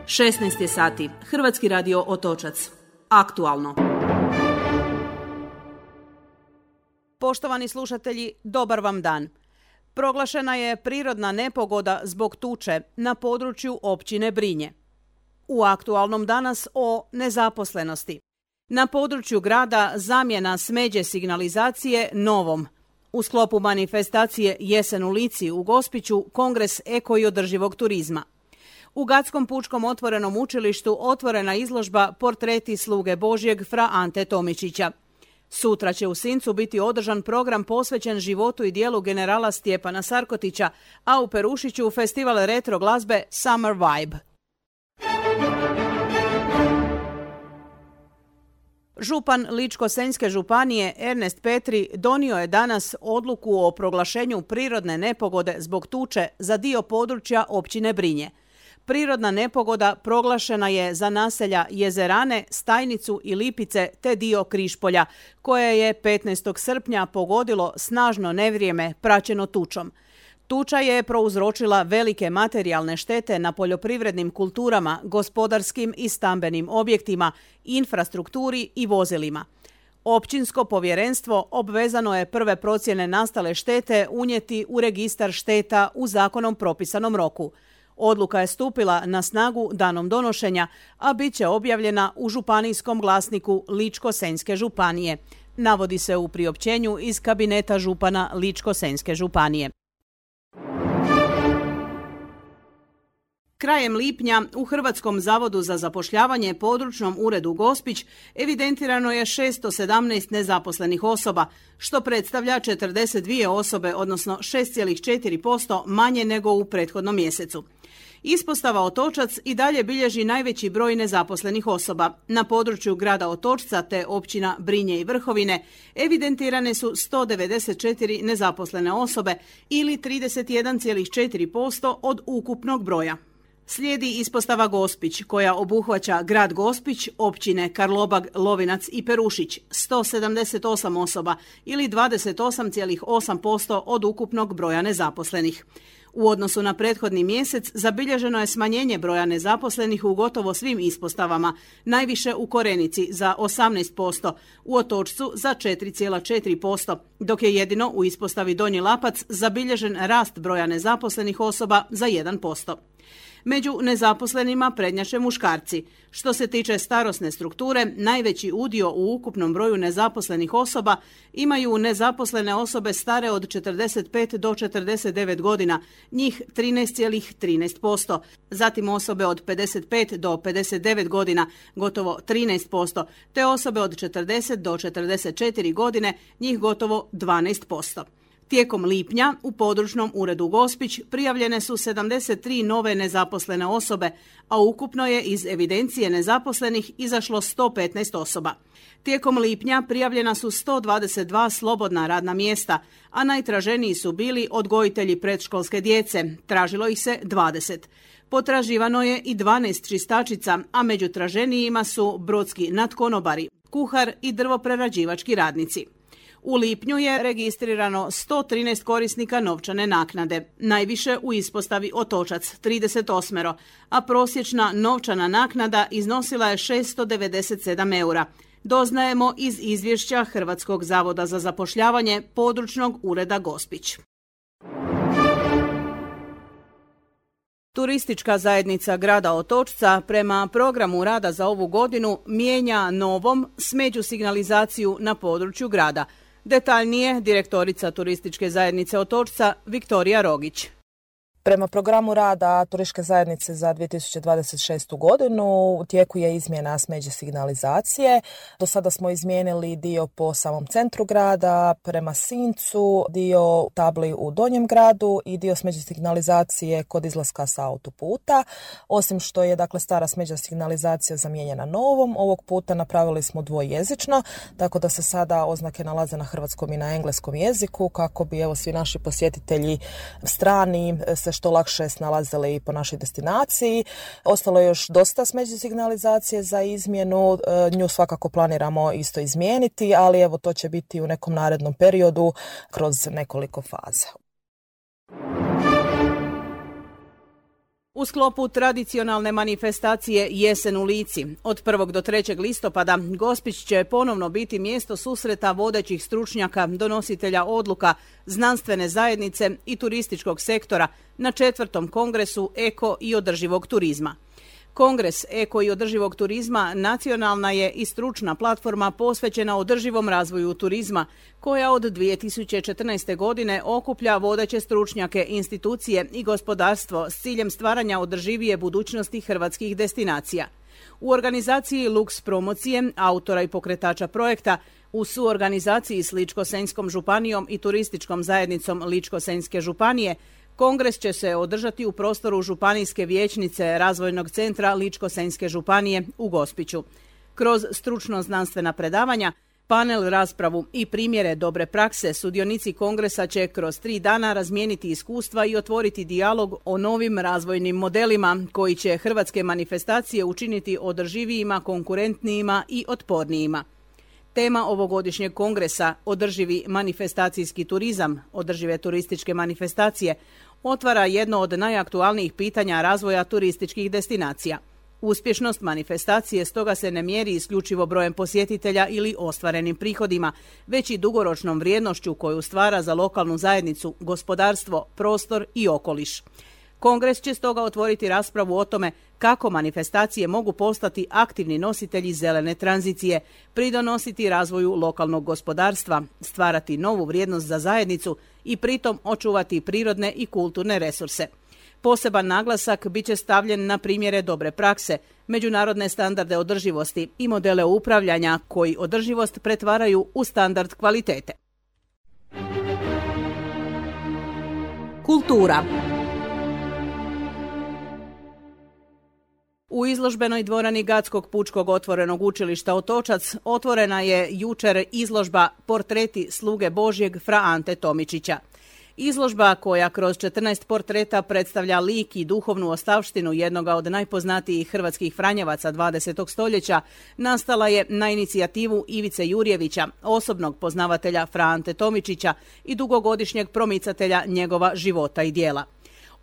16 je sati. Hrvatski radio Otočac. Aktualno. Poštovani slušatelji, dobar vam dan. Proglašena je prirodna nepogoda zbog tuče na području općine Brinje. U aktualnom danas o nezaposlenosti. Na području grada zamjena smeđe signalizacije novom. U sklopu manifestacije Jesen u Lici u Gospiću Kongres eko i održivog turizma. U Gatskom pučkom otvorenom učilištu otvorena izložba Portreti sluge Božjeg fra Ante Tomičića. Sutra će u Sincu biti održan program posvećen životu i djelu generala Stjepana Sarkotića, a u Perušiću festival retro glazbe Summer Vibe. Župan Ličko-senjske županije Ernest Petri donio je danas odluku o proglašenju prirodne nepogode zbog tuče za dio područja općine Brinje. Prirodna nepogoda proglašena je za naselja Jezerane, Stajnicu i Lipice te dio Križpolja, koje je 15. srpnja pogodilo snažno nevrijeme praćeno tučom. Tuča je prouzročila velike materijalne štete na poljoprivrednim kulturama, gospodarskim i stambenim objektima, infrastrukturi i vozilima. Općinsko povjerenstvo obvezano je prve procjene nastale štete unijeti u registar šteta u zakonom propisanom roku. Odluka je stupila na snagu danom donošenja, a bit će objavljena u županijskom glasniku Ličko-senjske županije. Navodi se u priopćenju iz kabineta župana Ličko-senjske županije. Krajem lipnja u Hrvatskom zavodu za zapošljavanje područnom uredu Gospić evidentirano je 617 nezaposlenih osoba, što predstavlja 42 osobe, odnosno 6,4% manje nego u prethodnom mjesecu. Ispostava Otočac i dalje bilježi najveći broj nezaposlenih osoba. Na području grada Otočca te općina Brinje i Vrhovine evidentirane su 194 nezaposlene osobe ili 31,4% od ukupnog broja. Slijedi ispostava Gospić, koja obuhvaća grad Gospić, općine Karlobag, Lovinac i Perušić, 178 osoba ili 28,8% od ukupnog broja nezaposlenih. U odnosu na prethodni mjesec zabilježeno je smanjenje broja nezaposlenih u gotovo svim ispostavama, najviše u Korenici za 18%, u Otočcu za 4,4%, dok je jedino u ispostavi Donji Lapac zabilježen rast broja nezaposlenih osoba za 1%. Među nezaposlenima prednjače muškarci. Što se tiče starosne strukture, najveći udio u ukupnom broju nezaposlenih osoba imaju nezaposlene osobe stare od 45 do 49 godina, njih 13,13%. Zatim osobe od 55 do 59 godina, gotovo 13%, te osobe od 40 do 44 godine, njih gotovo 12%. Tijekom lipnja u područnom uredu Gospić prijavljene su 73 nove nezaposlene osobe, a ukupno je iz evidencije nezaposlenih izašlo 115 osoba. Tijekom lipnja prijavljena su 122 slobodna radna mjesta, a najtraženiji su bili odgojitelji predškolske djece, tražilo ih se 20. Potraživano je i 12 čistačica, a među traženijima su brodski nadkonobari, kuhar i drvoprerađivački radnici. U lipnju je registrirano 113 korisnika novčane naknade, najviše u ispostavi Otočac 38, a prosječna novčana naknada iznosila je 697 eura. Doznajemo iz izvješća Hrvatskog zavoda za zapošljavanje područnog ureda Gospić. Turistička zajednica grada Otočca prema programu rada za ovu godinu mijenja novom smeđu signalizaciju na području grada. Detaljnije direktorica Turističke zajednice Otočca Viktorija Rogić. Prema programu rada Turističke zajednice za 2026. godinu u tijeku je izmjena smeđe signalizacije. Do sada smo izmijenili dio po samom centru grada, prema Sincu, dio tabli u Donjem gradu i dio smeđe signalizacije kod izlaska sa autoputa. Osim što je stara smeđa signalizacija zamijenjena novom, ovog puta napravili smo dvojezično, tako da se sada oznake nalaze na hrvatskom i na engleskom jeziku kako bi svi naši posjetitelji strani se što lakše snalazili po našoj destinaciji. Ostalo je još dosta smeđe signalizacije za izmjenu, nju svakako planiramo isto izmijeniti, ali to će biti u nekom narednom periodu kroz nekoliko faza. U sklopu tradicionalne manifestacije Jesen u Lici, od 1. do 3. listopada Gospić će ponovno biti mjesto susreta vodećih stručnjaka, donositelja odluka, znanstvene zajednice i turističkog sektora na 4. kongresu eko i održivog turizma. Kongres eko i održivog turizma nacionalna je i stručna platforma posvećena održivom razvoju turizma, koja od 2014. godine okuplja vodeće stručnjake, institucije i gospodarstvo s ciljem stvaranja održivije budućnosti hrvatskih destinacija. U organizaciji Lux promocije, autora i pokretača projekta, u suorganizaciji s Ličko-senjskom županijom i turističkom zajednicom Ličko-senjske županije, Kongres će se održati u prostoru Županijske vijećnice Razvojnog centra Ličko-senjske županije u Gospiću. Kroz stručno-znanstvena predavanja, panel raspravu i primjere dobre prakse, sudionici kongresa će kroz 3 dana razmijeniti iskustva i otvoriti dijalog o novim razvojnim modelima koji će hrvatske manifestacije učiniti održivijima, konkurentnijima i otpornijima. Tema ovogodišnjeg kongresa, održivi manifestacijski turizam, održive turističke manifestacije, otvara jedno od najaktualnijih pitanja razvoja turističkih destinacija. Uspješnost manifestacije stoga se ne mjeri isključivo brojem posjetitelja ili ostvarenim prihodima, već i dugoročnom vrijednošću koju stvara za lokalnu zajednicu, gospodarstvo, prostor i okoliš. Kongres će stoga otvoriti raspravu o tome kako manifestacije mogu postati aktivni nositelji zelene tranzicije, pridonositi razvoju lokalnog gospodarstva, stvarati novu vrijednost za zajednicu i pritom očuvati prirodne i kulturne resurse. Poseban naglasak bit će stavljen na primjere dobre prakse, međunarodne standarde održivosti i modele upravljanja koji održivost pretvaraju u standard kvalitete. Kultura. U izložbenoj dvorani Gatskog pučkog otvorenog učilišta Otočac otvorena je jučer izložba Portreti sluge Božjeg fra Ante Tomičića. Izložba koja kroz 14 portreta predstavlja lik i duhovnu ostavštinu jednoga od najpoznatijih hrvatskih franjevaca 20. stoljeća nastala je na inicijativu Ivice Jurjevića, osobnog poznavatelja fra Ante Tomičića i dugogodišnjeg promicatelja njegova života i djela.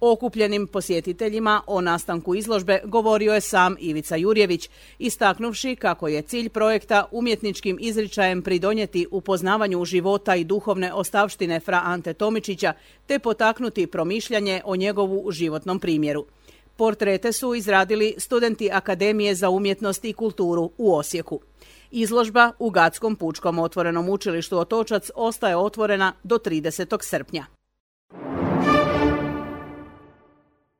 Okupljenim posjetiteljima o nastanku izložbe govorio je sam Ivica Jurjević, istaknuvši kako je cilj projekta umjetničkim izričajem pridonijeti upoznavanju života i duhovne ostavštine fra Ante Tomičića te potaknuti promišljanje o njegovu životnom primjeru. Portrete su izradili studenti Akademije za umjetnost i kulturu u Osijeku. Izložba u Gatskom pučkom otvorenom učilištu Otočac ostaje otvorena do 30. srpnja.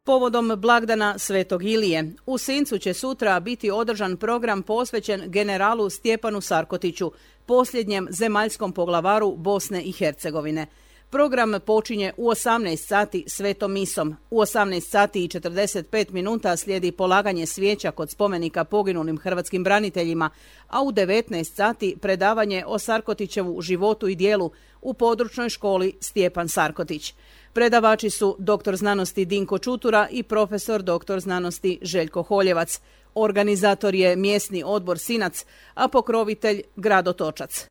Povodom blagdana Svetog Ilije, u Sincu će sutra biti održan program posvećen generalu Stjepanu Sarkotiću, posljednjem zemaljskom poglavaru Bosne i Hercegovine. Program počinje u 18 sati svetom misom. U 18 sati i 45 minuta slijedi polaganje svijeća kod spomenika poginulim hrvatskim braniteljima, a u 19 sati predavanje o Sarkotićevu životu i djelu u područnoj školi Stjepan Sarkotić. Predavači su dr. znanosti Dinko Čutura i profesor dr. znanosti Željko Holjevac. Organizator je mjesni odbor Sinac, a pokrovitelj grad Otočac.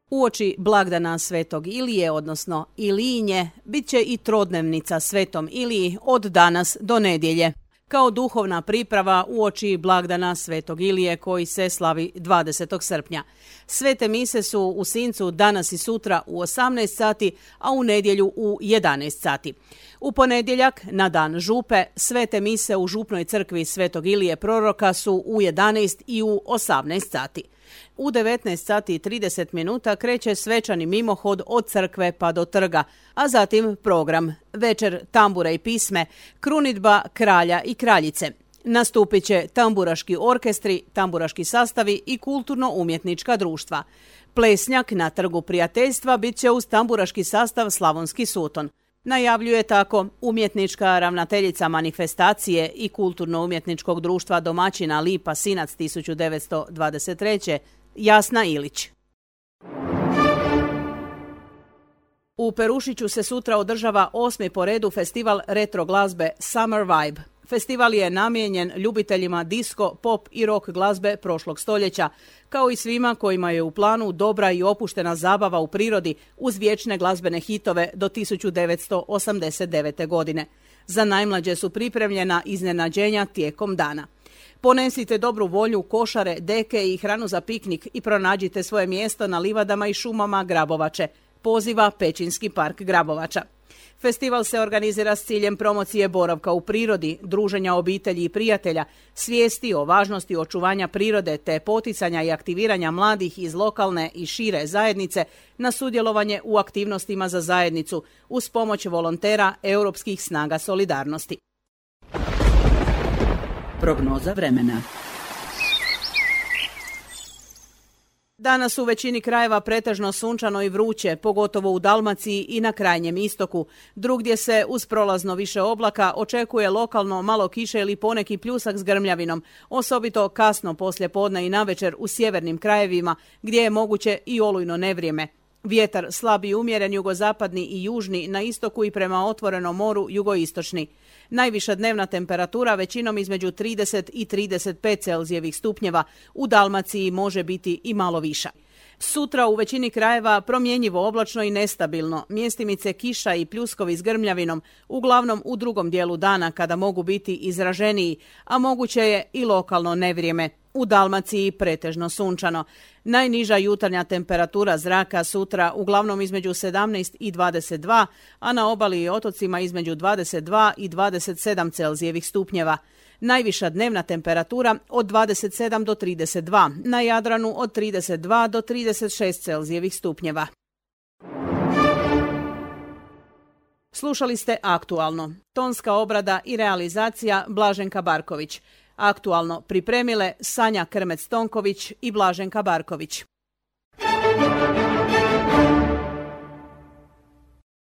Uoči blagdana Svetog Ilije, odnosno Ilijinje, bit će i trodnevnica Svetom Iliji od danas do nedjelje, kao duhovna priprava uoči blagdana Svetog Ilije koji se slavi 20. srpnja. Svete mise su u Sincu danas i sutra u 18 sati, a u nedjelju u 11 sati. U ponedjeljak, na dan župe, svete mise u župnoj crkvi Svetog Ilije Proroka su u 11 i u 18 sati. U 19 sati i 30 minuta kreće svečani mimohod od crkve pa do trga, a zatim program Večer tambura i pisme, krunidba kralja i kraljice. Nastupit će tamburaški orkestri, tamburaški sastavi i kulturno-umjetnička društva. Plesnjak na Trgu prijateljstva bit će uz tamburaški sastav Slavonski Suton. Najavljuje tako umjetnička ravnateljica manifestacije i kulturno-umjetničkog društva domaćina Lipa Sinac 1923. Jasna Ilić. U Perušiću se sutra održava 8. po redu festival retro glazbe Summer Vibe. Festival je namijenjen ljubiteljima disko, pop i rock glazbe prošlog stoljeća, kao i svima kojima je u planu dobra i opuštena zabava u prirodi uz vječne glazbene hitove do 1989. godine. Za najmlađe su pripremljena iznenađenja tijekom dana. Ponesite dobru volju, košare, deke i hranu za piknik i pronađite svoje mjesto na livadama i šumama Grabovače, poziva Pećinski park Grabovača. Festival se organizira s ciljem promocije boravka u prirodi, druženja obitelji i prijatelja, svijesti o važnosti očuvanja prirode te poticanja i aktiviranja mladih iz lokalne i šire zajednice na sudjelovanje u aktivnostima za zajednicu uz pomoć volontera Europskih snaga solidarnosti. Prognoza vremena. Danas u većini krajeva pretežno sunčano i vruće, pogotovo u Dalmaciji i na krajnjem istoku. Drugdje se uz prolazno više oblaka očekuje lokalno malo kiše ili poneki pljusak s grmljavinom, osobito kasno poslje podne i navečer u sjevernim krajevima gdje je moguće i olujno nevrijeme. Vjetar slab i umjeren jugozapadni i južni, na istoku i prema otvorenom moru jugoistočni. Najviša dnevna temperatura većinom između 30 i 35 Celzijevih stupnjeva, u Dalmaciji može biti i malo viša. Sutra u većini krajeva promjenjivo oblačno i nestabilno, mjestimice kiša i pljuskovi s grmljavinom, uglavnom u drugom dijelu dana kada mogu biti izraženiji, a moguće je i lokalno nevrijeme. U Dalmaciji pretežno sunčano. Najniža jutarnja temperatura zraka sutra uglavnom između 17 i 22, a na obali i otocima između 22 i 27 Celzijevih stupnjeva. Najviša dnevna temperatura od 27 do 32, na Jadranu od 32 do 36 Celzijevih stupnjeva. Slušali ste Aktualno. Tonska obrada i realizacija Blaženka Barković. Aktualno pripremile Sanja Krmec-Tonković i Blaženka Barković.